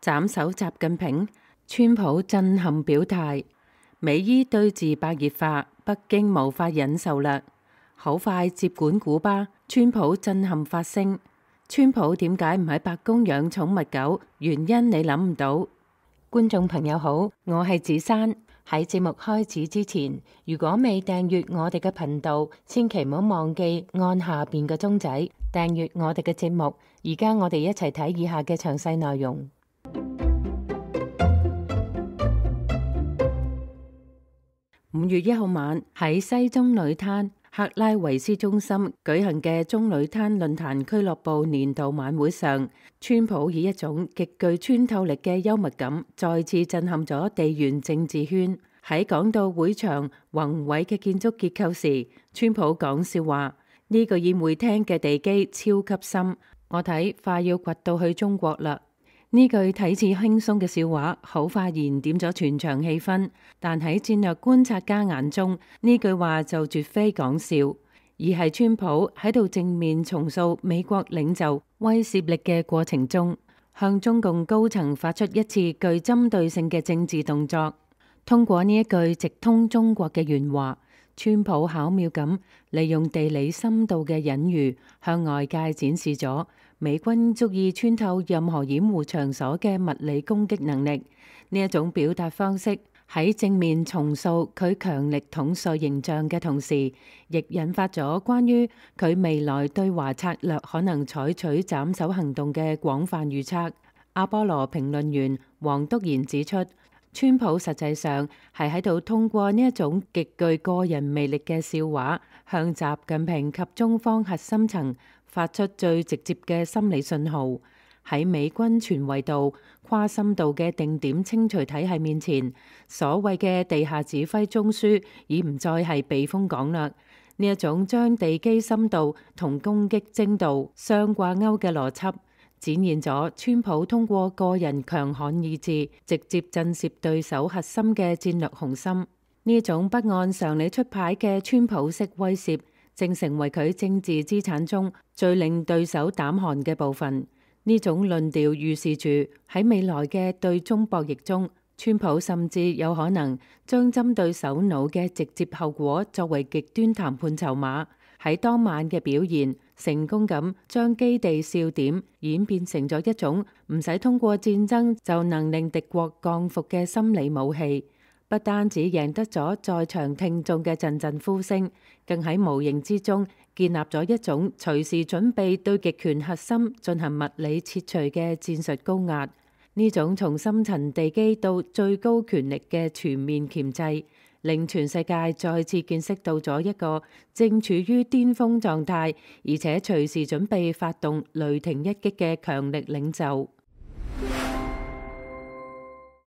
斬首習近平，川普震撼表態。美伊對峙白熱化，北京無法忍受啦。好快接管古巴，川普震撼發聲。川普點解唔喺白宮養寵物狗？原因你諗唔到。觀眾朋友好，我係子珊。喺節目開始之前，如果未訂閱我哋嘅頻道，千祈唔好忘記按下邊嘅鐘仔訂閱我哋嘅節目。而家我哋一齊睇以下嘅詳細內容。5月1號晚喺西中女灘克拉維斯中心舉行嘅中女灘論壇俱樂部年度晚會上，川普以一種極具穿透力嘅幽默感，再次震撼咗地緣政治圈。喺講到會場宏偉嘅建築結構時，川普講笑話：呢個宴會廳嘅地基超級深，我睇快要掘到去中國啦。呢句睇似輕鬆嘅笑話，好快燃點咗全場氣氛。但喺戰略觀察家眼中，呢句話就絕非講笑，而係川普喺度正面重塑美國領袖威懾力嘅過程中，向中共高層發出一次具針對性嘅政治動作。通過呢一句直通中國嘅原話，川普巧妙咁利用地理深度嘅隱喻，向外界展示咗美軍足以穿透任何掩護場所嘅物理攻擊能力。呢一種表達方式喺正面重塑佢強力統帥形象嘅同時，亦引發咗關於佢未來對華策略可能採取斬首行動嘅廣泛預測。阿波羅評論員黃篤賢指出，川普實際上係喺度通過呢一種極具個人魅力嘅笑話，向習近平及中方核心層發出最直接嘅心理信號。喺美軍全維度、跨深度嘅定點清除體系面前，所謂嘅地下指揮中樞已唔再係避風港啦。呢一種將地基深度同攻擊精度相掛鈎嘅邏輯，展現咗川普通過個人強悍意志，直接震懾對手核心嘅戰略雄心。呢種不按常理出牌嘅川普式威懾，正成為佢政治資產中最令對手膽寒嘅部分。呢種論調預示住喺未來嘅對中博弈中，川普甚至有可能將針對首腦嘅直接後果作為極端談判籌碼。喺當晚嘅表現，成功咁將基地笑點演變成咗一種唔使通過戰爭就能令敵國降服嘅心理武器。不單止贏得咗在場聽眾嘅陣陣呼聲，更喺無形之中建立咗一種隨時準備對極權核心進行物理切除嘅戰術高壓。呢種從深層地基到最高權力嘅全面鉗制，令全世界再次見識到咗一個正處於巔峰狀態，而且隨時準備發動雷霆一擊嘅強力領袖。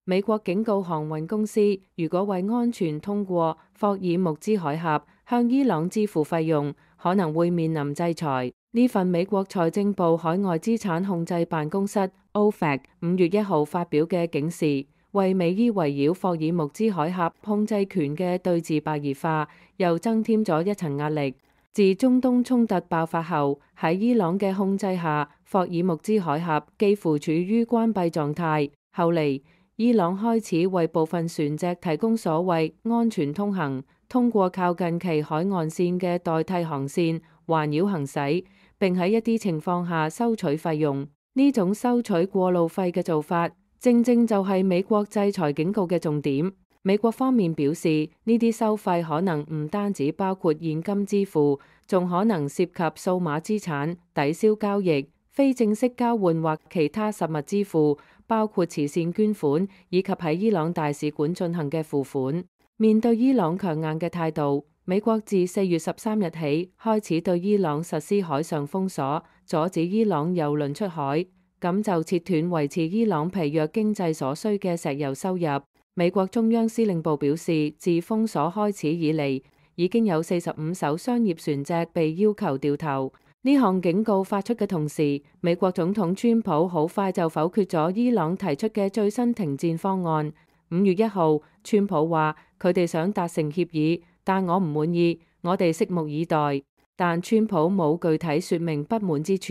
美國警告航運公司，如果為安全通過霍爾木茲海峽向伊朗支付費用，可能會面臨制裁。呢份美國財政部海外資產控制辦公室 OFAC 5月1號發表嘅警示，為美伊圍繞霍爾木茲海峽控制權嘅對峙白熱化又增添咗一層壓力。自中東衝突爆發後，喺伊朗嘅控制下，霍爾木茲海峽幾乎處於關閉狀態。後嚟，伊朗開始為部分船隻提供所謂安全通行，通過靠近其海岸線嘅代替航線環繞行駛，並喺一啲情況下收取費用。呢種收取過路費嘅做法，正正就係美國制裁警告嘅重點。美國方面表示，呢啲收費可能唔單止包括現金支付，仲可能涉及數碼資產、抵銷交易、非正式交換或其他實物支付，包括慈善捐款以及喺伊朗大使館進行嘅付款。面對伊朗強硬嘅態度，美國自4月13日起開始對伊朗實施海上封鎖，阻止伊朗油輪出海，咁就切斷維持伊朗疲弱經濟所需嘅石油收入。美國中央司令部表示，自封鎖開始以嚟，已經有45艘商業船隻被要求掉頭。呢項警告發出嘅同時，美國總統川普好快就否決咗伊朗提出嘅最新停戰方案。5月1號，川普話佢哋想達成協議，但我唔滿意，我哋拭目以待。但川普冇具體說明不滿之處，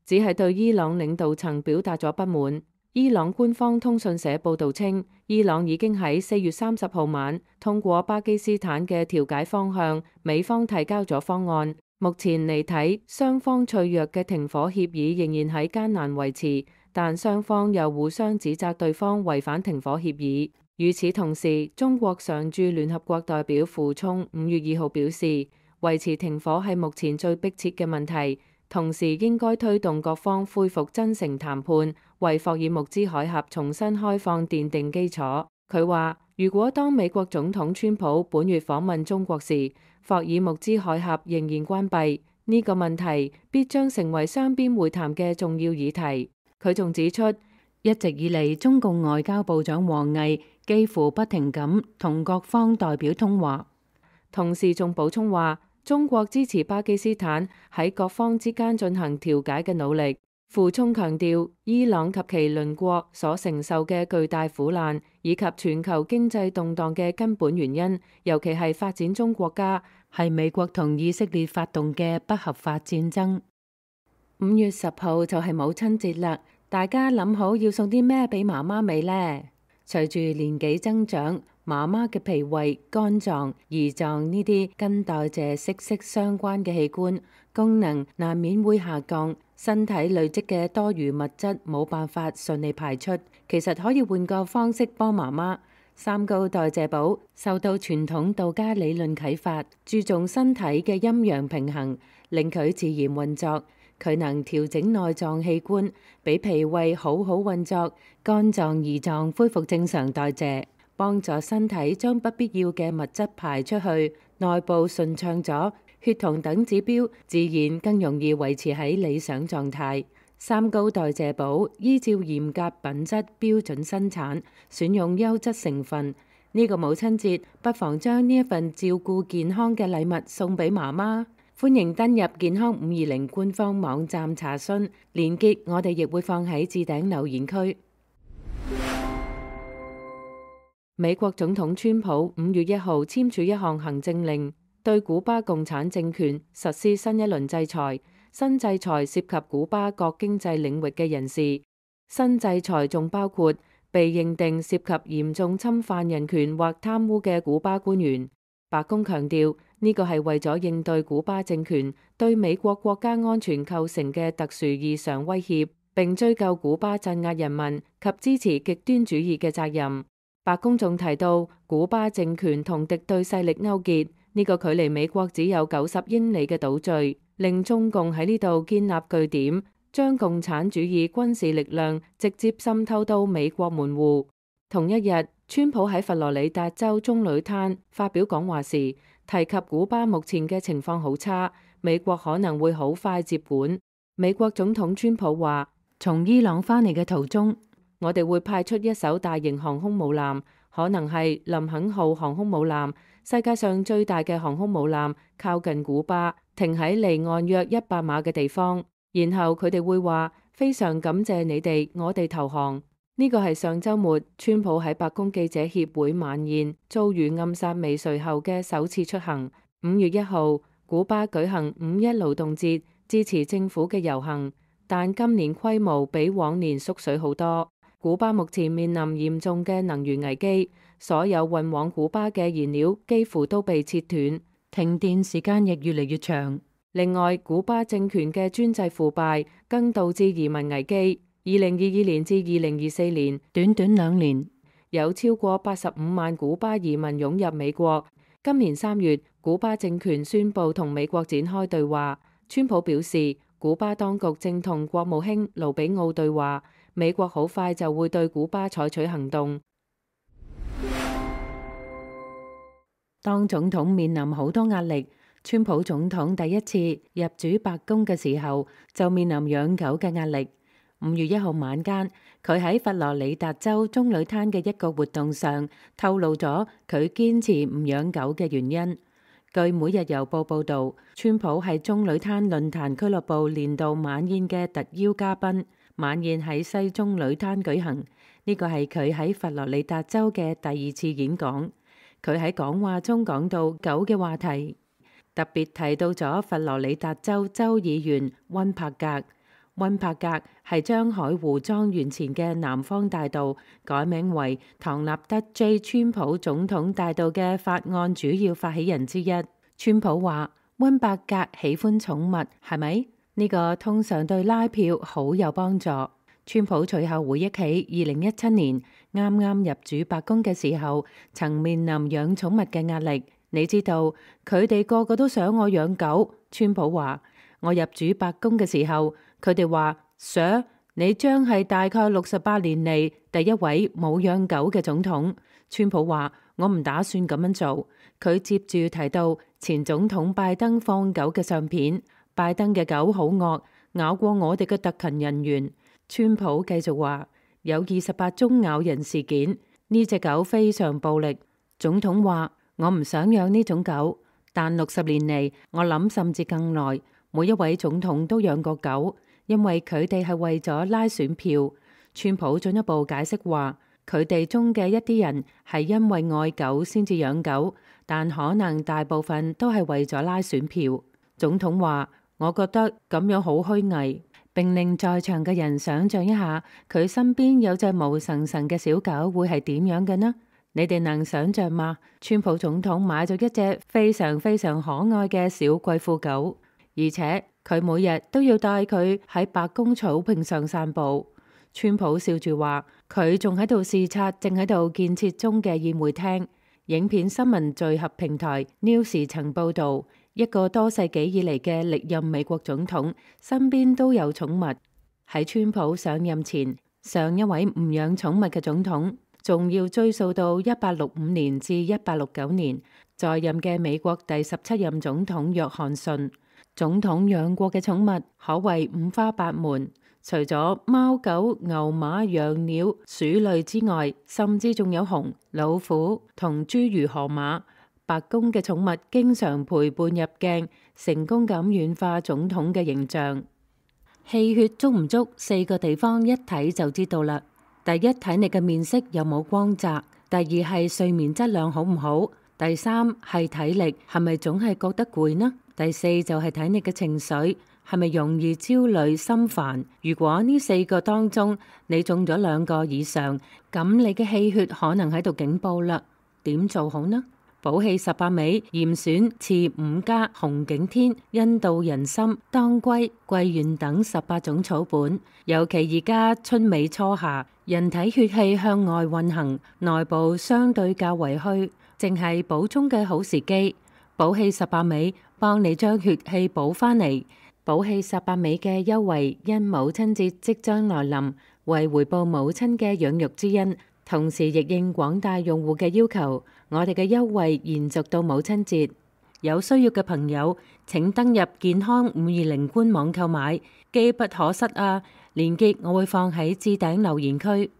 只係對伊朗領導層表達咗不滿。伊朗官方通訊社報導稱，伊朗已經喺4月30號晚通過巴基斯坦嘅調解方向，美方提交咗方案。目前嚟睇，雙方脆弱嘅停火協議仍然喺艱難維持，但雙方又互相指責對方違反停火協議。與此同時，中國常駐聯合國代表傅聰5月2號表示，維持停火係目前最迫切嘅問題，同時應該推動各方恢復真誠談判，為霍爾木茲海峽重新開放奠定基礎。佢話，如果當美國總統川普本月訪問中國時，霍爾木茲海峽仍然關閉，呢個問題必將成為雙邊會談嘅重要議題。佢仲指出，一直以嚟中共外交部長王毅幾乎不停咁同各方代表通話，同時仲補充話，中國支持巴基斯坦喺各方之間進行調解嘅努力。傅聰強調，伊朗及其鄰國所承受嘅巨大苦難，以及全球經濟動盪嘅根本原因，尤其係發展中國家，係美國同以色列發動嘅不合法戰爭。5月10號就係母親節啦，大家諗好要送啲咩俾媽媽未呢？隨住年紀增長，媽媽嘅脾胃、肝臟、胰臟呢啲跟代謝息息相關嘅器官功能難免會下降，身體累積嘅多餘物質冇辦法順利排出。其實可以換個方式幫媽媽。三高代謝寶受到傳統道家理論啟發，注重身體嘅陰陽平衡，令佢自然運作。佢能調整內臟器官，俾脾胃好好運作，肝臟、胰臟恢復正常代謝，幫助身體將不必要嘅物質排出去，內部順暢咗，血糖等指標自然更容易維持喺理想狀態。三高代謝寶依照嚴格品質標準生產，選用優質成分。呢個母親節，不妨將呢一份照顧健康嘅禮物送俾媽媽。歡迎登入健康520官方網站查詢，連結我哋亦會放喺置頂留言區。美國總統川普5月1號簽署一項行政令，對古巴共產政權實施新一輪制裁。新制裁涉及古巴各經濟領域嘅人士。新制裁仲包括被認定涉及嚴重侵犯人權或貪污嘅古巴官員。白宮強調，呢個係為咗應對古巴政權對美國國家安全構成嘅特殊異常威脅，並追究古巴鎮壓人民及支持極端主義嘅責任。白宮仲提到，古巴政權同敵對勢力勾結，呢個距離美國只有90英里嘅島嶼，令中共喺呢度建立據點，將共產主義軍事力量直接滲透到美國門戶。同一日，川普喺佛羅里達州棕櫚灘發表講話時，提及古巴目前嘅情況好差，美國可能會好快接管。美國總統川普話：從伊朗返嚟嘅途中，我哋會派出一艘大型航空母艦，可能係林肯號航空母艦，世界上最大嘅航空母艦，靠近古巴，停喺離岸約100碼嘅地方。然後佢哋會話：非常感謝你哋，我哋投降。呢個係上週末川普喺白宮記者協會晚宴遭遇暗殺未遂後嘅首次出行。5月1號，古巴舉行5·1勞動節，支持政府嘅遊行，但今年規模比往年縮水好多。古巴目前面臨嚴重嘅能源危機，所有運往古巴嘅燃料幾乎都被切斷，停電時間亦越嚟越長。另外，古巴政權嘅專制腐敗更導致移民危機。2022年至2024年，短短2年，有超過85萬古巴移民湧入美國。今年3月，古巴政權宣布同美國展開對話。川普表示，古巴當局正同國務卿盧比奧對話，美國好快就會對古巴採取行動。當總統面臨好多壓力，川普總統第一次入主白宮嘅時候，就面臨養狗嘅壓力。5月1號晚間，佢喺佛羅里達州棕櫚灘嘅一個活動上透露咗佢堅持唔養狗嘅原因。據每日郵報報導，川普係棕櫚灘論壇俱樂部年度晚宴嘅特邀嘉賓。晚宴喺西棕櫚灘舉行，呢個係佢喺佛羅里達州嘅第2次演講。佢喺講話中講到狗嘅話題，特別提到咗佛羅里達州州議員溫柏格。溫伯格係將海湖莊園前嘅南方大道改名為唐納德 J. 川普總統大道嘅法案主要發起人之一。川普話：溫伯格喜歡寵物，係咪？呢個通常對拉票好有幫助。川普隨後回憶起2017年啱啱入主白宮嘅時候，曾面臨養寵物嘅壓力。你知道佢哋個個都想我養狗。川普話：我入主白宮嘅時候，佢哋話 Sir， 你將係大概68年嚟第一位冇養狗嘅總統。川普話：我唔打算咁樣做。佢接住提到前總統拜登放狗嘅相片，拜登嘅狗好惡，咬過我哋嘅特勤人員。川普繼續話：有28宗咬人事件，呢隻狗非常暴力。總統話：我唔想養呢種狗，但60年嚟，我諗甚至更耐，每一位總統都養過狗，因為佢哋係為咗拉選票。川普進一步解釋話：佢哋中嘅一啲人係因為愛狗先至養狗，但可能大部分都係為咗拉選票。總統話：我覺得咁樣好虛偽。並令在場嘅人想象一下，佢身邊有隻毛神神嘅小狗會係點樣嘅呢？你哋能想象嗎？川普總統買咗一隻非常非常可愛嘅小貴婦狗，而且佢每日都要帶佢喺白宮草坪上散步。川普笑住話：佢仲喺度視察正喺度建設中嘅宴會廳。影片新聞聚合平台 News 曾報道，一個多世紀以嚟嘅歷任美國總統身邊都有寵物。喺川普上任前，上一位唔養寵物嘅總統仲要追溯到1865年至1869年，在任嘅美國第17任總統約翰遜。總統養過嘅寵物可謂五花八門，除咗貓狗牛馬羊鳥鼠類之外，甚至仲有熊老虎同諸如河馬。白宮嘅寵物經常陪伴入鏡，成功咁軟化總統嘅形象。氣血足唔足4個地方一睇就知道啦。第一，睇你嘅面色有冇光澤；第二係睡眠質量好唔好；第三係體力係咪總係覺得攰呢？第四就係睇你嘅情緒係咪容易焦慮心煩。如果呢4個當中你中咗2個以上，咁你嘅氣血可能喺度警報啦。點做好呢？補氣18味嚴選次5加紅景天印度人參當歸桂圓等18種草本，尤其而家春尾初夏，人體血氣向外運行，內部相對較為虛，正係補充嘅好時機。補氣18味幫你將血氣補返嚟。補氣18味嘅優惠因母親節即將來臨，為回報母親嘅養育之恩，同時亦應廣大用戶嘅要求，我哋嘅優惠延續到母親節。有需要嘅朋友請登入健康520官網購買，機不可失啊！鏈接我會放喺置頂留言區。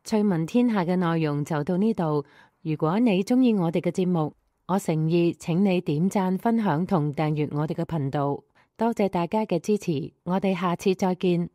趣聞天下嘅內容就到呢度。如果你鍾意我哋嘅節目，我誠意請你點讚、分享同訂閱我哋嘅頻道。多謝大家嘅支持，我哋下次再見。